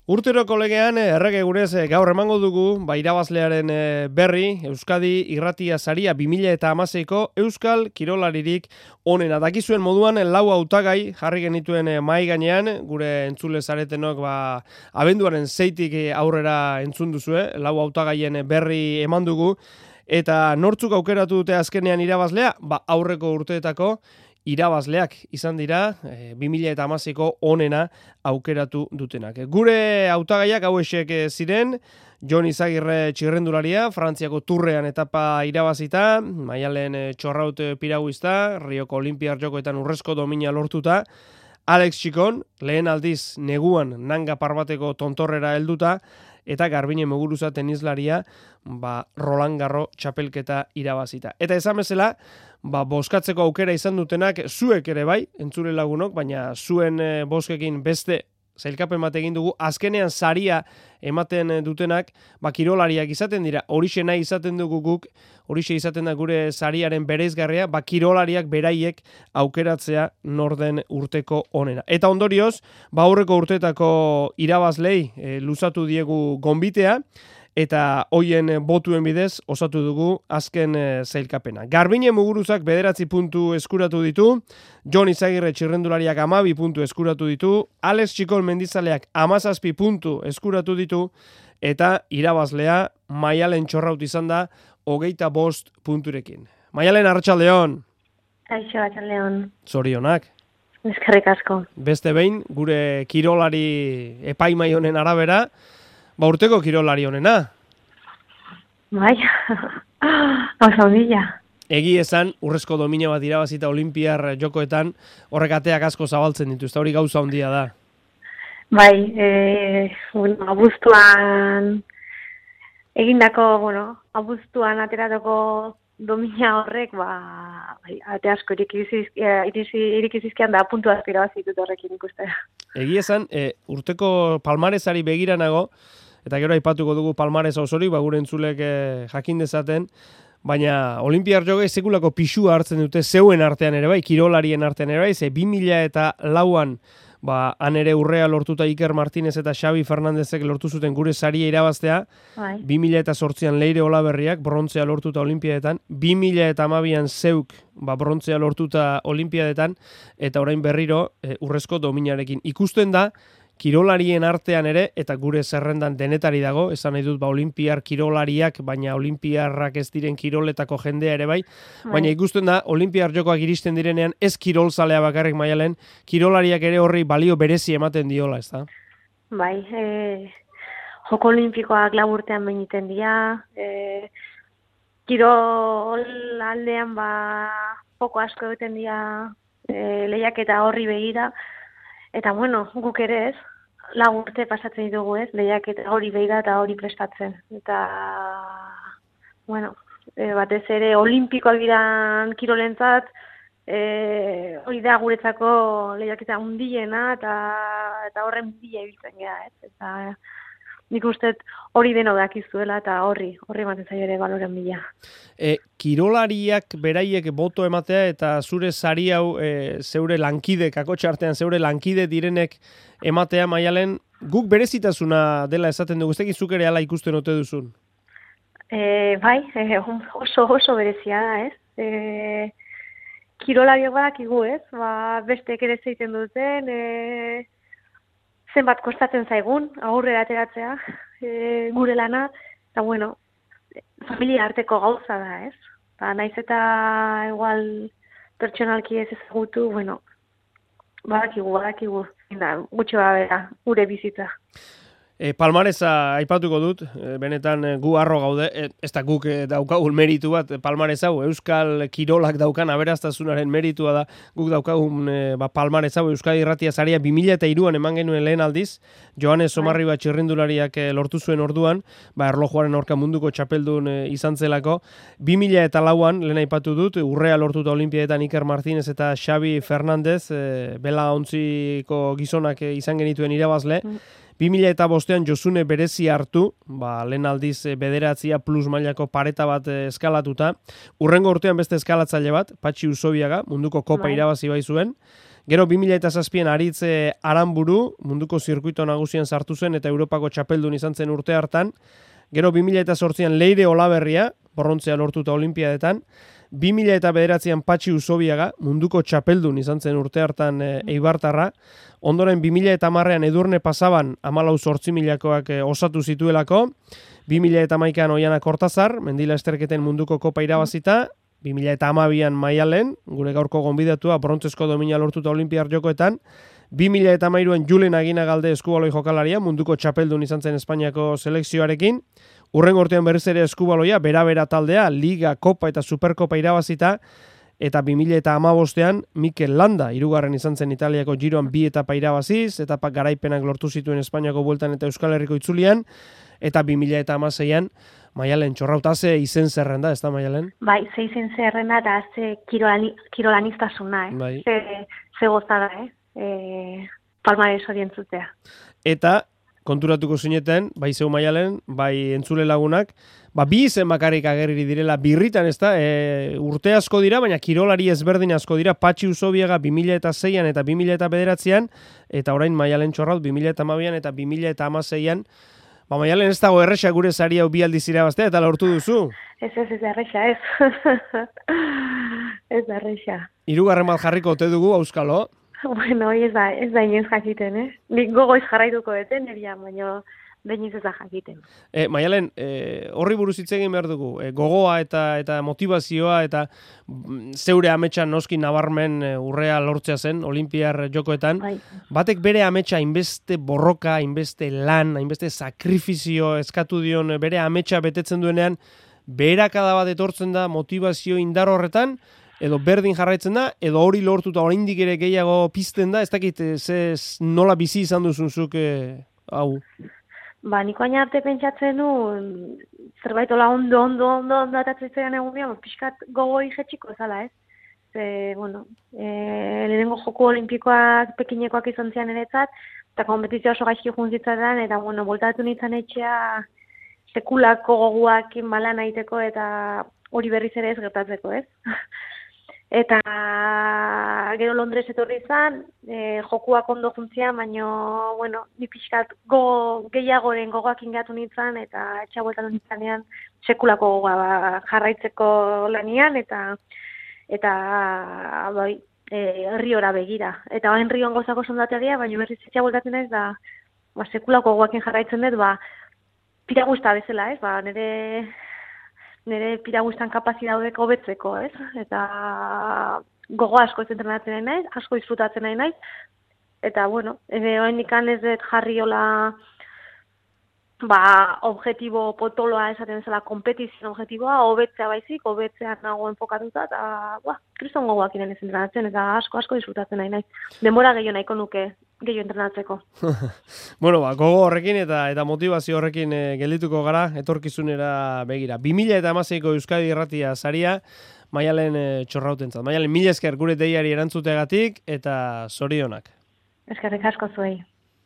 Urtero kolegean errege gurez gaur emango dugu irabazlearen berri Euskadi Irratia Saria 2016ko Euskal Kirolaririk onena. Dakizuen moduan lau hautagai jarri genituen mahai gainean, gure entzule zaretenok abenduaren 6tik aurrera entzun duzue, lau hautagaien berri eman dugu eta nortzuk aukeratu dute azkenean irabazlea, aurreko urteetako irabazleak izan dira 2016ko onena aukeratu dutenak. Gure hautagaiak hauexek ziren: Jon Izagirre txirrendularia, Frantziako Turrean etapa irabazita, Maialen Txorraut piraguista, Rioko Olinpiar Jokoetan urrezko domina lortuta, Alex Txikon, lehen aldiz neguan nanga parbateko tontorrera helduta, eta Garbine Muguruza tenislaria Roland Garros txapelketa irabazita. Eta esan bezala, bozkatzeko aukera izan dutenak zuek ere bai, entzule lagunok, baina zuen bozkekin beste zailkapen bat egin dugu, azkenean saria ematen dutenak, kirolariak izaten dira, horixe nahi izaten dugu guk, horixe izaten da gure sariaren bereizgarria, kirolariak beraiek aukeratzea norden urteko onena. Eta ondorioz, aurreko urteetako irabazlei luzatu diegu gonbitea, eta hoien botuen bidez osatu dugu azken zailkapena. Garbine Muguruzak 9 puntu eskuratu ditu, Jon Izagirre txirrendulariak 12 puntu eskuratu ditu, Alex Txikon mendizaleak 17 puntu eskuratu ditu, eta irabazlea Maialen Txorraut izan da 25 punturekin. Maialen, arratsaldeon. Kaixo, arratsaldeon. Zorionak. Eskerrik asko. Beste behin, gure kirolari epaimai honen arabera, urteko kirolari honena. Bai, oso ondila. Egi esan, urrezko domina bat irabazita Olinpiar Jokoetan, horrek ateak asko zabaltzen dituzte, hori gauza ondia da. Bai, abuztuan abuztuan ateratako domina horrek, ate asko irikizizkian da puntu asko irabazitut horrekin ikuste. Egi esan, urteko palmaresari begiranago, eta gero aipatuko dugu palmaresa osorik, gure entzulek jakin dezaten, baina Olinpiar Jokoek sekulako pisua hartzen dute zeuen artean ere bai, kirolarien artean ere bai, 2004an han ere urrea lortuta Iker Martinez eta Xabi Fernandezek lortu zuten gure saria irabaztea, 2008an Leire Olaberriak brontzea lortuta Olimpiadetan, 2012an zeuk brontzea lortuta Olimpiadetan, eta orain berriro urrezko dominarekin. Ikusten da, kirolarien artean ere, eta gure zerrendan denetari dago, esan nahi dut olimpiar kirolariak, baina olimpiarrak ez diren kiroletako jendea ere bai, baina ikusten da, Olimpiar Jokoak iristen direnean, ez kirolzalea bakarrik Maialen, kirolariak ere horri balio berezi ematen diola, ez da? Bai, Joko Olimpikoak laburtean beniten dira, kirol aldean joko asko egiten dira lehiaketa horri begira, eta guk ere ez, urte pasatzen ditugu ez, lehiaketa hori begira eta hori prestatzen. Eta, batez ere olimpikoak diran kirolentzat, hori da guretzako lehiaketa hundiena eta horren bila ibiltzen gara ez. Eta nik uste hori deno dakizuela eta horri ematen zaio ere baloren bila. Kirolariak beraiek boto ematea eta zure sari hau zeure lankide, kakotxartean zeure lankide direnek ematea, Maialen, guk berezitasuna dela esaten dugu, ez dakit zuk ere ala ikusten ote duzun? Bai, oso berezia da, ez? Kirolariak badakigu, ez? Besteek ere zeiten duten, zenbat kostatzen zaigun, aurrera ateratzea, gure lana, eta familia arteko gauza da, ez? Naiz eta igual pertsonalki ez ezagutu, badakigu, gutxo bera, gure bizitza. Palmaresa aipatuko dut, benetan gu harro gaude, ez da guk daukagun meritu bat, palmares hau, Euskal Kirolak daukan aberastazunaren meritua da, guk daukagun palmares hau, Euskadi Irratia Saria 2003an eman genuen lehen aldiz, Joanes Somarriba txirrindulariak lortu zuen orduan, erlojuaren aurka munduko txapeldun izan zelako, 2004an, lehen aipatu dut, urrea lortuta Olimpiadetan Iker Martinez eta Xabi Fernandez, bela ontziko gizonak izan genituen irabazle, 2005an Josune berezi hartu, lehen aldiz bederatzia plus mailako pareta bat eskalatuta. Urrengo urtean beste eskalatzaile bat, Patxi Usobiaga, munduko kopa irabazi bai zuen. Gero 2007an Aritz Aranburu, munduko zirkuito nagusian sartu zen eta Europako txapeldun izan zen urte hartan. Gero 2008an Leire Olaberria, brontzea lortuta olimpiadetan. 2009an Patxi Usobiaga, munduko txapeldun izan zen urte hartan eibartarra. Ondoren 2010an Edurne Pasaban 14.000-koak osatu zituelako. 2011an Oiana Kortazar, mendila esterketen munduko kopa irabazita. 2012an Maialen, gure gaurko gonbidatua, brontzezko domina lortuta olimpiar jokoetan. 2013an Julen Aginagalde eskubaloi jokalaria, munduko txapeldun izan zen Espainiako selekzioarekin. Urren urtean berriz ere eskubaloia, bera taldea, Liga, Kopa eta Superkopa irabazita, eta 2015an Mikel Landa, hirugarren izan zen Italiako Giroan 2 etapa irabaziz, etapa garaipenak lortu zituen Espainiako bueltan eta Euskal Herriko itzulian, eta 2016an Maialen Txorrauta, ze izen zerrenda, ez da Maialen? Bai, ze izen zerrenda eta ze kirolanistasuna, Bai. Ze gozada, palmares hori entzutea. Eta konturatuko zineten, bai zeu Maialen, bai entzule lagunak, bi izen bakarrik agerri direla birritan, ez da, urte asko dira, baina kirolari ezberdin asko dira, Patxi Usobiaga 2006an eta 2009an, eta orain Maialen Txorraut 2012an eta 2016an. Maialen, ez dago erresa gure sari hau bi aldiz irabaztea, eta lortu duzu? Ez erresa, ez. Ez erresa. Hirugarren bat jarriko ote dugu, auskalo? Bueno, ez da inoiz jakiten, Nik gogoiz jarraituko deten, neria, baina behin ez da jakiten. Maialen, horri buruz hitz egin behar dugu. Gogoa eta motivazioa eta zeure ametsan noski nabarmen urrea lortzea zen, olimpiar jokoetan. Bai. Batek bere ametsa hainbeste borroka, hainbeste lan, hainbeste sakrifizio eskatu dion bere ametsa betetzen duenean, beherakada bat etortzen da motivazio indar horretan, edo berdin jarraitzen da, edo hori lortuta oraindik ere gehiago pizten da, ez dakit nola bizi izan duzunzuk hau? Niko aina arte pentsatzen du, zerbait ola ondo atatzen egunean, pixkat gogoi jetxiko ezala, ez? Lehenengo joku olimpikoak pekinekoak izan zian eretzat, eta kompetizioa oso gaizki juntzitzaten, eta voltatu nintzen etxea sekulako goguak balan aiteko, eta hori berriz ere ez gertatzeko, ez? Eta gero Londres etorri izan, jokuak ondo juntzian, baina, ni pixkat gehiagoren gogoak ingatu nintzen, eta etxabueltan nintzanean sekulako gogoa jarraitzeko lanian, eta herriora begira. Eta hain rion gozako sondatea, baina berriz etxabueltatzen ez, da sekulako gogoakin jarraitzen dut, piragusta bezala, ez? Nire piragustan kapazitatea daudek hobetzeko, ez? Eta gogo asko ez entrenatzen nahi naiz, asko disfrutatzen nahi naiz. Eta, oraindik ez dut jarri hola objetibo potoloa esaten zela, kompetizio objetiboa, hobetzea baizik, hobetzean nago enfokatuta, eta, kriston gogoak inen ez entrenatzen, eta asko disfrutatzen nahi naiz. Denbora gehiago nahiko nuke, gehiago entrenatzeko. Gogo horrekin eta motivazio horrekin geldituko gara, etorkizunera begira. 2016ko Euskadi Irratia saria, Maialen Txorrautentzat. Maialen, mila esker gure deiari erantzuteagatik, eta zorionak. Eskerrik asko zuei.